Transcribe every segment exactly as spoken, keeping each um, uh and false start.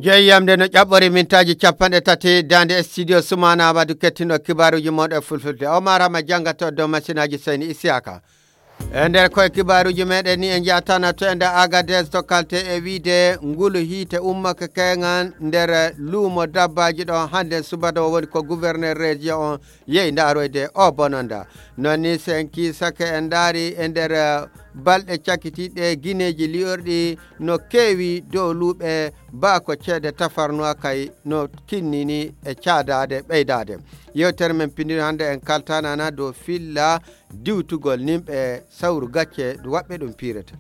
jeeyamde no ƴaɓɓori mintaji capanɗe tati dande studio Soumana Amadou kettino kibaruji moɗo fulfulde Omar Hama jangata dow machine aji Seyni Isiaka e nder koye kibaruji meɗen ni en jatana to e nder Agadez to kalte e wiide ngulu hiite ummaka keŋan nder luumo dabbaji ɗo hande subaka woni ko gouverneur région on yeyi daroyde o bononda nonni sen kisake en daari e nder balɗe cakkitiɗe guineji liyorɗi no kewi dow luuɓe baako ceede tafarnoa kay no kinnini e caadade ɓeydade yewtere men piniri hande en kaltanana dow filla diwtugol nimɓe sawru gacce waɓɓe ɗum pirata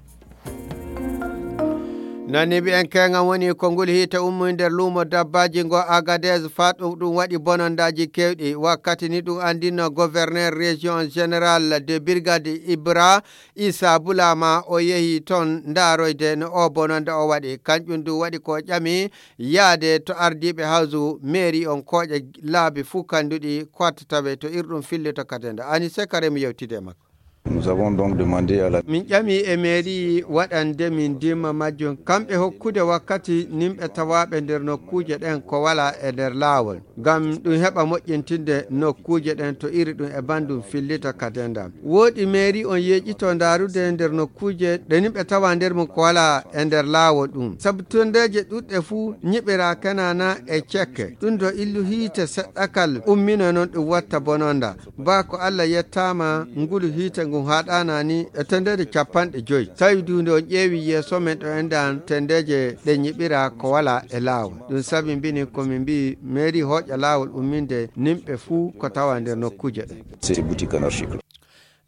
nani bi en kenga woni ko ngol hiite ummu nder luumo dabbaji ngo Agadez faɗum ɗum waɗi bonondaji kewɗi wakkati ni ɗum andino gouverneur région général de brigade Ibra Issa Boulama o yehi ton ndaroyde no o bononda o waɗi kanƴum du waɗi ko ƴami yaade to ardiɓe hawsu mairie on kooƴe laabi fuu kanduɗi kwattataɓe to irɗum fille to katenda ani sekare mi yewtide makko. Nous avons donc demandé à la min ƴami e mairie waɗande min dimma majjum kamɓe hokkude wakkati nimɓe tawaɓe nder nokkuje ɗen ko wala e nder laawol ngam ɗum heɓa moƴƴintinde nokkuje ɗen to iri ɗum e bandum fillita kadenda woɗi mairie on yeƴito darude nder nokkuje ɗe nimɓe tawa nder mum ko wala e nder laawol ɗum sabu tondeje ɗuɗɗe fuu ñiɓira kanana e cekke ɗum do illu hiite seɗɗakal ummino noon ɗum watta bononda ba ko Allah yettama ngulu hiite ngu haɗanani e tendede capanɗe joyi tawi dunde on ƴeewi yeeso men ɗo endan tendeje ɗe ñiɓira ko wala e laawol ɗum sabi mbini komin mbi mairie hoƴa laawol umminde nimɓe fuu ko tawa nder nokkuje ɗe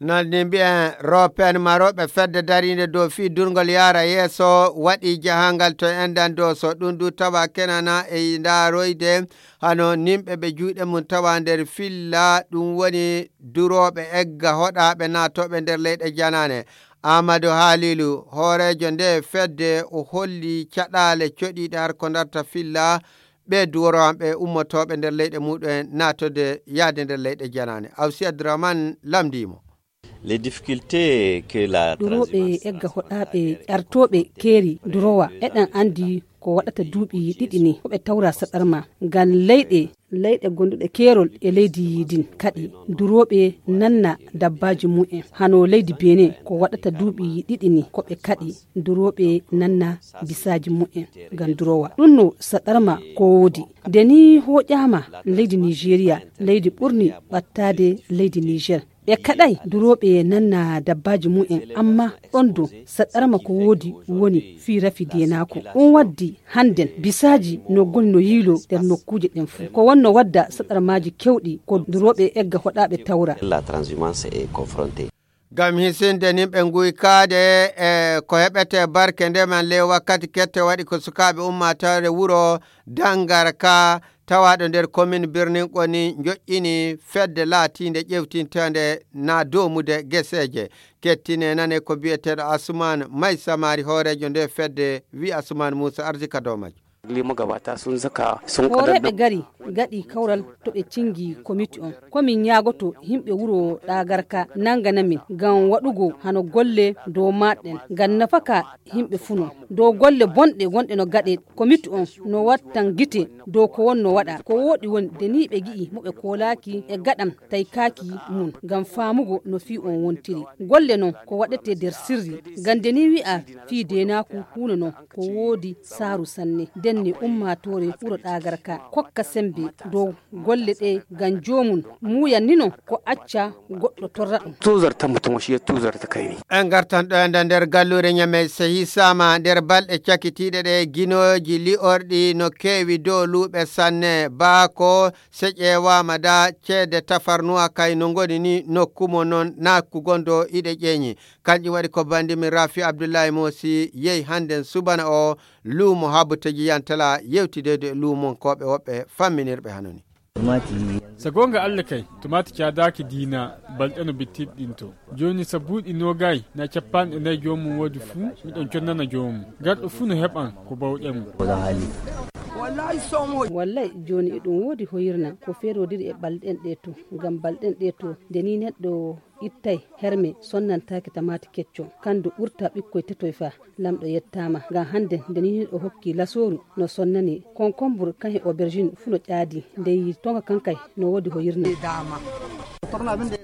nandi mbiyen ropen maroɓe fedde darinde dow fi durgol yara yeeso waɗi jahangal to endan dow so ɗum du tawa kenana e daroyde hano nimɓe ɓe juuɗe mum tawa nder filla ɗum woni duroɓe egga hoɗaɓe natoɓe nder leyɗe janane Amadou Halilu hoorejo nde fedde o holli caɗale coɗiɗe har ko darta filla ɓe duroɓe ummotoɓe nder leyɗe muɗum natode yaade nder leyɗe janane Awsi Abdourahmane lamdimo les difficultés que la duroɓe egga hoɗaɓe ƴartoɓe keeri durowa eɗen andi ko waɗata duuɓi ɗiɗi ni koɓe tawra saɗarma ngam leyɗe leyɗe gonduɗe keerol e leydi din kadi duroɓe nanna dabbaji mu'en hano leydi Benin ko waɗata duuɓi ɗiɗi ni koɓe kadi duroɓe nanna bisaji mu'en ngam durowa ɗum no saɗarma ko wodi deni hoƴama leydi Nigeria leydi ɓurni ɓattade leydi Niger ɓe kaɗai duroɓe nanna dabbaji mu'en amma ɗon do saɗarma ko wodi woni fi rafi denako ɗum waddi handen bisaji no goni no yilo nder nokkuje ɗen fu ko wonno wadda saɗarmaji kewɗi ko duroɓe egga hoɗaɓe tawra la transhumance est confrontée gam hisinde nimɓe guykaade e ko heɓete barke ndeman ley wakkati kette waɗi ko sukaɓe ummatore wuro Dangarka tawaɗo nder commune birnin ƙoni joƴƴini fedde laatinde ƴewtintende na domude geseje kettine nane ko biyeteɗo Asuman May Samari hoorejo nde fedde wi Asuman Moussa arsika dow majjo limo gabata sun zaka sun horeɓe gari gaɗi kawral to ɓe cingi comité on komin ñagoto himɓe wuro Ɗagarka nangana min ngam waɗugo hano golle dow maɗen ngam nafaka himɓe funo dow golle bonɗe gonɗe no gaɗe comité on no wattan gite dow ko wonno waɗa ko woɗi woni deni ɓe gi'i moɓe kolaki e gaɗam tay kaki mum ngam famugo no fi on wontiri golle non ko waɗete nder sirri ngam deni wi'a fi denaku huno non ko woodi saru sanne denne ummatore wuro Ɗagarka kokka sembe dow golle ɗe ngam jomum muyanni non ko acca goɗɗo torra ɗum tuzarta mutum shi tuzarta kayni en gartan ɗo enda nder gallure ñame sehi sama nder balɗe cakkitiɗe ɗe guinoji li'orɗi no kewi dow luuɓe sanne baako se ƴewama da ceede tafarnuwa kay no goni ni nokkumo noon nakku gondo iɗe ƴeeñi kanƴum waɗi ko bandimi Rafi Abdoullahi Mosi yehi handen subana o luumo habuteji yantala yewtidede luumon koɓe woɓɓe famminirɓe hanoni so gonga Allah kay tumati cadaki dina balɗeno bittiɗɗinto joni so buuɗi nogayi na capanɗe nayi jomum woodi fuu miɗon connana jomum garɗo fuu no heɓan ko bawɗen wallahi joni eɗum woodi hoyirna ko ferodiri e balɗen ɗe to ngam balɗen ɗe to deni neɗɗo ittay herme sonnantaki tamati kecco kandu ɓurta ɓikkoy tetoy fa lamɗo yettama ngam hande nde ni o hokki lasoru no sonnani konkombur kan he aubergine fu no ƴaadi nde tonga kankay no wodi ho yirna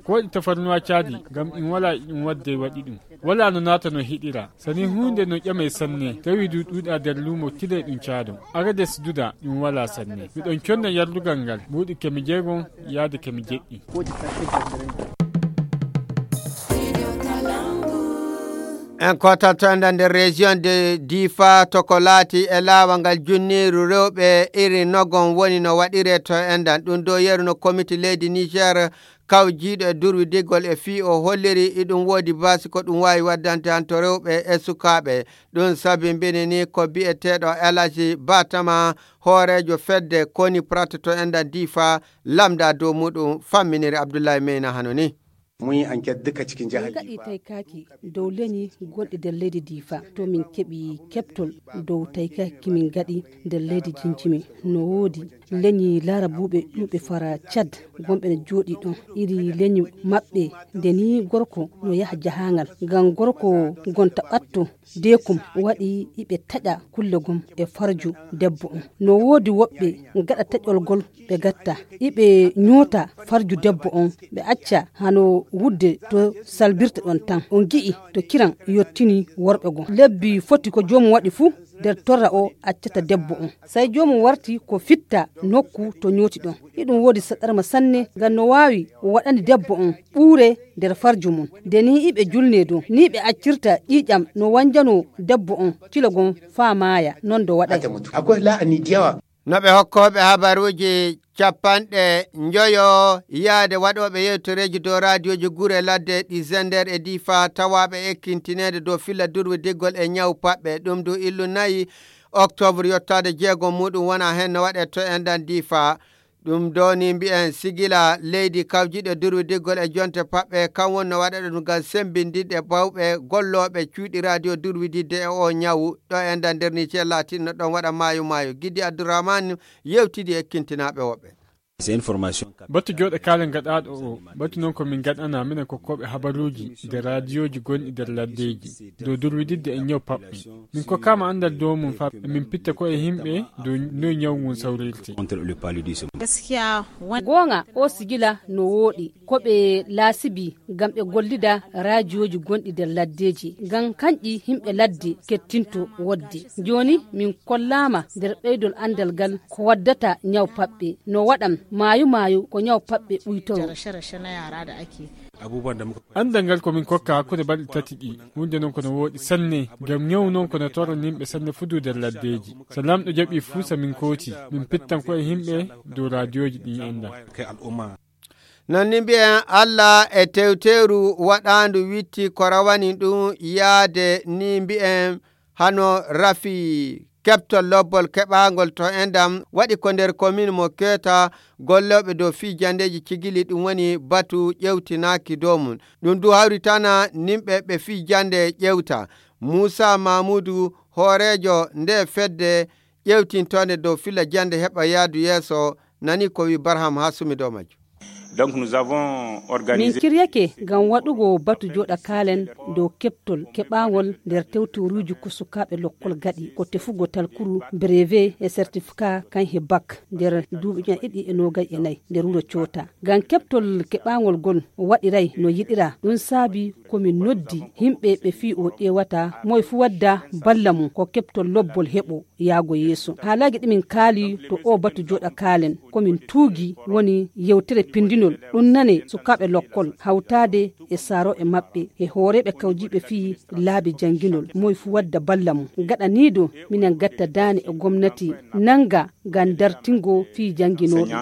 ko waɗi tafarnuwa caadi ngam in wala in wadde waɗi ɗum wala no naata no hiɗira sani hunde no ƴame sanne tawi du ɗuuɗa nder luumo tile ɗum caado arades duda ɗum wala sanne miɗon conna yardugal ngal buuɗi kemi jeegon yaade kemi jeɗɗi. en kotatonda nder région de Difa to ko laati e laawol ngal junniru rewɓe iri nogon woni no waɗire to endan ɗum do yeruno comité leydi Niger kawjiiɗo e durwidigol e fii o holliri iɗum woodi basi ko ɗum wawi waddante han to rewɓe e sukaaɓe ɗum sabi mbini ni ko bi'eteɗo Elaji Batama hoorejo fedde koni prata to endan Difa lamda dow muɗum famminiri Abdoulaye Meyna hanoni. mun yi enquête duka cikin jihar Difa. Gaɗi tai kaki dow leñi gonɗi nder leydi Difa to min keɓi keɓtol dow tai kaki min gaɗi nder leydi Jinjimi no woodi leñi laara buuɓe ɗuɓe fara Chad gonɓe ne jooɗi ɗon iri leñi maɓɓe nde ni gorko no yaha jahangal ngam gorko gonta ɓatto dekum waɗi iɓe taƴa kulle gom e farju debbo on no woodi woɓɓe gaɗa taƴol gol ɓe gatta iɓe ñoota farju debbo on ɓe acca hano wudde to salbirte ɗon tan on gi'i to kiran yottini worɓe gon lebbi foti ko joomum waɗi fuu nder torra o accata debbo on sai joomum warti ko fitta nokku to ñooti ɗon iɗum woodi saɗarma sanne ngam no wawi waɗani debbo on ɓuure nder farju mum nde ni iɓe julne dow ni ɓe accirta ƴiƴam no wanjano debbo on tilo gon faa maaya non do waɗay akwai la'ani diyawa no ɓe hokkoɓe habaruji capanɗe njoyo yaade waɗoɓe yewtoreji dow radioji gure ladde ɗi Zender e Difa tawaɓe ekkintinede dow filla durwi diggol e ñaw paɓɓe ɗum du illu nayi octobre yottade jeegom muɗum wona hen no waɗe to endan Difa ɗum doni mbi'en sigila leydi kawjiɗe durwi diggol e jonte paɓɓe kam woni no waɗa ɗum ngam sembindiɗe bawɓe golloɓe cuuɗi radio durwididde e o ñawu ɗo endan nder ni cellatinno ɗon waɗa maayo maayo Gidi Abdourahmane yewtidi ekkintinaɓe woɓɓe. batu joɗe kalen gaɗaɗo o batu noon komin gaɗana minen kokkoɓe habaruji nder radioji gonɗi nder laddeji dow durwididde e ñaw paɓɓe min kokkama andal dow mum fa min pitta ko e himɓe dow no ñaw ngun sawrirte gonga o sigila no wooɗi koɓe laasibi ngam ɓe gollida radioji gonɗi nder laddeji ngam kanƴi himɓe ladde kettinto wodde joni min kollama nder ɓeydol andal ngal ko waddata ñaw paɓɓe no waɗam mayu mayu ko ñaw paɓɓe ɓuytoro andal ngal komin kokka hakkude balɗe tati ɗi hunde noon kono wooɗi sanne ngam ñaw noon kono torranimɓe sanne fudu nder laddeji so lamɗo jaɓi fuu sa min kooti min pittan ko e himɓe dow radioji ɗin enda non ni mbi'en Allah e tewteru waɗandu witti ko rawani ɗum yaade ni mbi'en hano rafi keɓtol lobbol keɓagol to endam waɗi ko nder commune mo Keeta golloɓe dow fijandeji cigili ɗum woni batu ƴewtinaki dow mum ɗum du hawritana nimɓe ɓe fijande ƴewta Moussa Mamoudou hoorejo nde fedde ƴewtintode dow filla jande heɓa yaadu yeeso nani ko wi Barham Hasumi dow majjum. Donc nous avons organisé min kiryake ngam waɗugo batu joɗa kalen dow keɓtol keɓagol nder tewtoruji ko sukaɓe lokkol gaɗi ko tefugo talkuru brevet e certificat kan he bac nder duuɓi ƴan ɗiɗi e nogay e nayyi nder wuro Coota ngam keɓtol keɓagol gol waɗiray no yiɗira ɗum saabi komin noddi himɓe ɓe fi o ƴewata moye fu wadda balla mum ko keɓtol lobbol heɓo yaago yeeso haalaji ɗimin kaali to o batu joɗa kalen komin tuugi woni yewtere pindinol ɗum nane sukaɓe lokkol hawtade e saaro e maɓɓe e hooreɓe kawjiɓe fi laabi janginol moye fu wadda balla mum gaɗa nido minen gatta daane e gomnati nanga ngam dartingo fi janginoɓe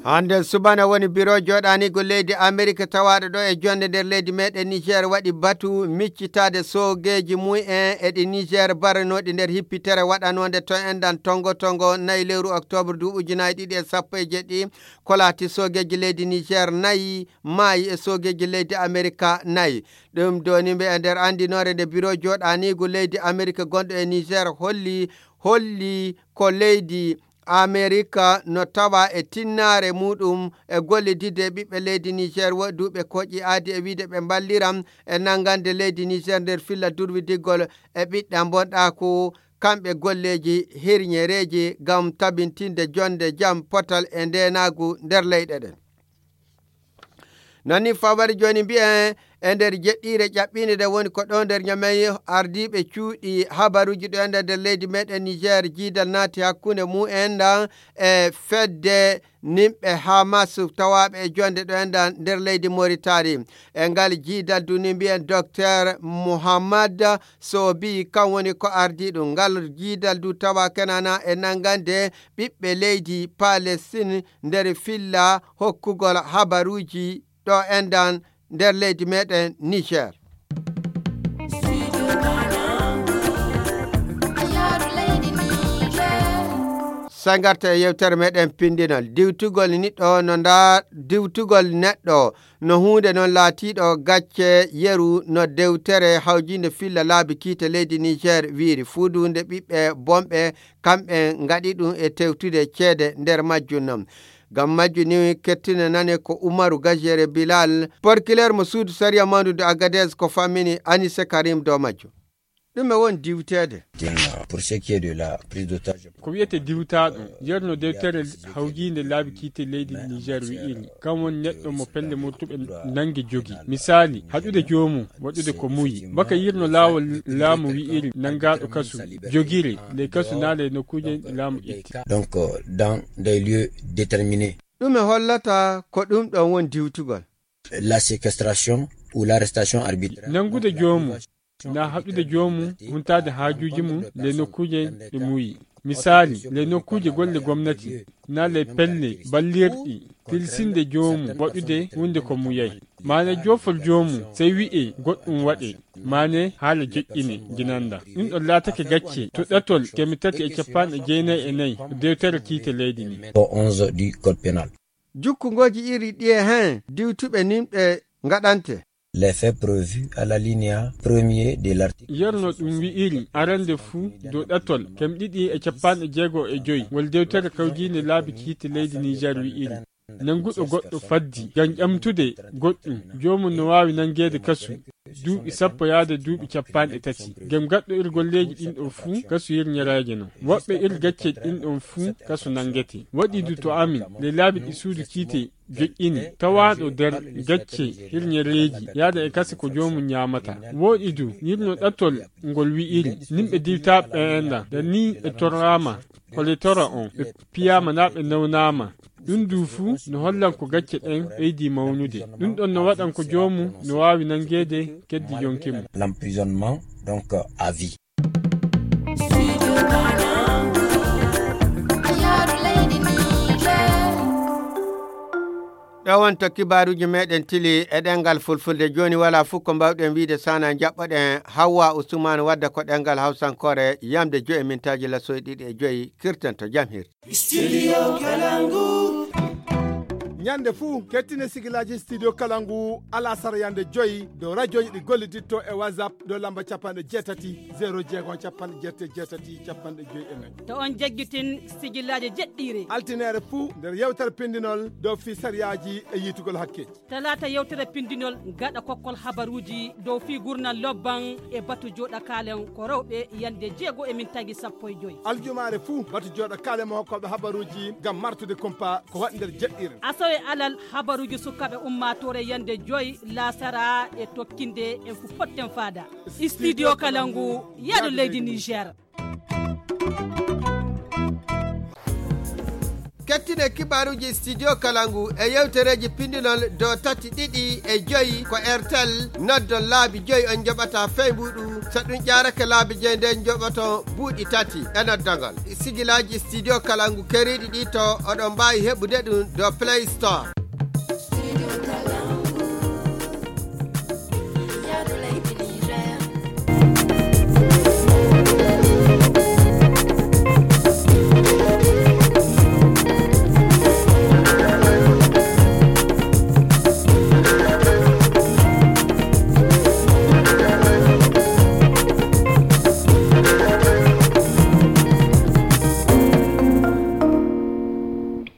hande subana woni bureau joɗanigo leydi Amerique tawaɗo ɗo e jonde nder leydi meɗen Niger waɗi batu miccitade sogeji mu'en e ɗi Niger baranoɗi nder hippitere waɗanode to endan tongo tongo nayi lewru octobre du ujunaaje ɗiɗi e sappo e jeɗɗi kolati sogeji leydi Niger nayi maayi e sogeji leydi Amerique nayi ɗum doni ɓe e nder andinore nde bureau joɗanigo leydi Amerique gonɗo e Niger holli holli ko leydi Amerika no tawa e tinnare muɗum e gollidide ɓiɓɓe leydi Niger woduɓe koƴi aadi e wiide ɓe balliram e nangande leydi Niger nder filla durwidiggol e ɓiɗɗa bonɗaku kamɓe golleji hirñereji gam tabintinde jonde jam potal e ndenagu nder leyɗe ɗen. Nani fawari joni mbi'en e nder jeɗɗire ƴaɓɓine de woni ko ɗo nder ñamey ardiɓe cuuɗi habaruji ɗo ender nder leydi meɗen Niger jiidal naati hakkunde mu'en dan e fedde nimɓe Hamas tawaɓe e jonde ɗo ender nder leydi Mauritanie e ngal jiidal duni mbi'en docteur Mouhammad Sobi kan woni ko ardi ɗum ngal jiidal du tawa kenana e nangande ɓiɓɓe leydi Palestine nder filla hokkugol habaruji ɗo endan nder leydi meɗen Niger. Sangarta e yewtere meɗen pindinol diwtugol niɗɗo no nda diwtugol neɗɗo no hunde non laatiɗo gacce yeru no dewtere hawjinde filla laabi kiite leydi Niger wiiri fuudunde ɓiɓɓe bomɓe kamɓe ngaɗi ɗum e tewtude ceede nder majjum non. Gam majjuni kettine nane ko Umaru Gajere Bilal porkiler mo suudu Saria Mandude Agadez ko famini Anise Karim do majjo. Ɗum e won diwtede pour ce qui est de la prise d'otage ko wiyete diwtaɗo yerno dewtere hawjinde laabi kiite leydi Niger wi'iri kam woni neɗɗo mo pelle murtuɓe nangi jogi misali haɗude jomum waɗude ko muyi baka yirno laawol laamu wi'iri nangaɗo kasu jogiri ley kasu naale nokkuje laamu itti donc dans des lieux déterminés. Ɗum e hollata ko ɗum ɗon won diwtugol la séquestration ou l'arrestation arbitraire nangude jomum na haɗude jomum huntade haajuji mum le nokkuje ɗe muyi misali le nokkuje golle gomnati na le pelle ballirɗi tilsinde jomum waɗude hunde ko muyay mane jofol jomum sey wi'e goɗɗum waɗe mane haala joƴƴine jinanda ɗum ɗon laatake gacce to ɗatol kemi tati e capanɗe jeenayi e nayyi dewtere kiite leydi ni onze du code pénal. Jukkungoji iri ɗi e hen diwtuɓe nimɓe ngaɗante les faits prévus à la linéa premier de l'article. Yerno ɗum wi'iri arande fuu dow ɗatol kem ɗiɗi e capanɗe jeego e joyi wol dewtere kawjinde laabi kiite leydi Niger wi'iri nanguɗo goɗɗo faddi ngam ƴamtude goɗɗum jomum no wawi nanguede kasu duuɓi sappo yaade duuɓi capanɗe tati ngam gaɗɗo ir golleji ɗin ɗon fuu kasu yirñeraje non woɓɓe ir gacce ɗin ɗon fuu kasu nangete waɗi du to amin le laabi ɗi suudu kiite joƴƴini tawaɗo nder gacce hirñereji yaada e kase ko jomum ñamata woɗi du yirno ɗatol ngol wi'iri nimɓe diwtaɓe enda da ni e torrama hole tora on ɓe piyama na ɓe nawnama ɗum du fuu no hollan ko gacce ɗen ɓeydi mawnude ɗum ɗon no waɗan ko jomum no wawi nangede keddi yonki mum l'emprisonnement donc à vie. ɗo wonto kibaruji meɗen tili e ɗengal fulfulde joni wala fof ko mbawɗen wiide sana jaɓɓoɗen Hawwa Ousmane wadda ko ɗengal hawsankore yamde joyi mintaji lasoy ɗiɗi e joyi kirten to jam hirde Studio Kalangu ñande fuu kettine sigilaji studio Kalangu ala sara yande joyi dow radioji ɗi golliditto e whatsapp dow lamba capanɗe jeetati zéro jeegom capanɗe jeette jeetati capanɗe joyi e nayyi to on jagguitin sigillaji jeɗɗiri altinere fuu nder yewtere pindinol dow fi sariyaji e yitugol hakkeji talata yewtere pindinol gaɗa kokkol habaruji dow fi gurnal lobban e batu joɗa kalen ko rewɓe yande jeego e min tagi sappo e joyi aljumare fuu batu joɗa kalen mo hokkoɓe habaruji gam martude compa ko waɗi nder jeɗɗire asawe alal habaruji sukaɓe ummatore yande joyi lasara e tokkinde en fu potten fada studio Kalangu yaɗo leydi Niger. kettine kibaruji studio Kalangu e yewtereji pindinol dow tati ɗiɗi e joyi ko Airtel noddon laabi joyi on joɓata feymuɗu so ɗum ƴarake laabi joyi nden joɓoto buuɗi tati e noddogol sigilaji studio Kalangu keriɗi ɗi to oɗon mbawi heɓude ɗum dow Play Store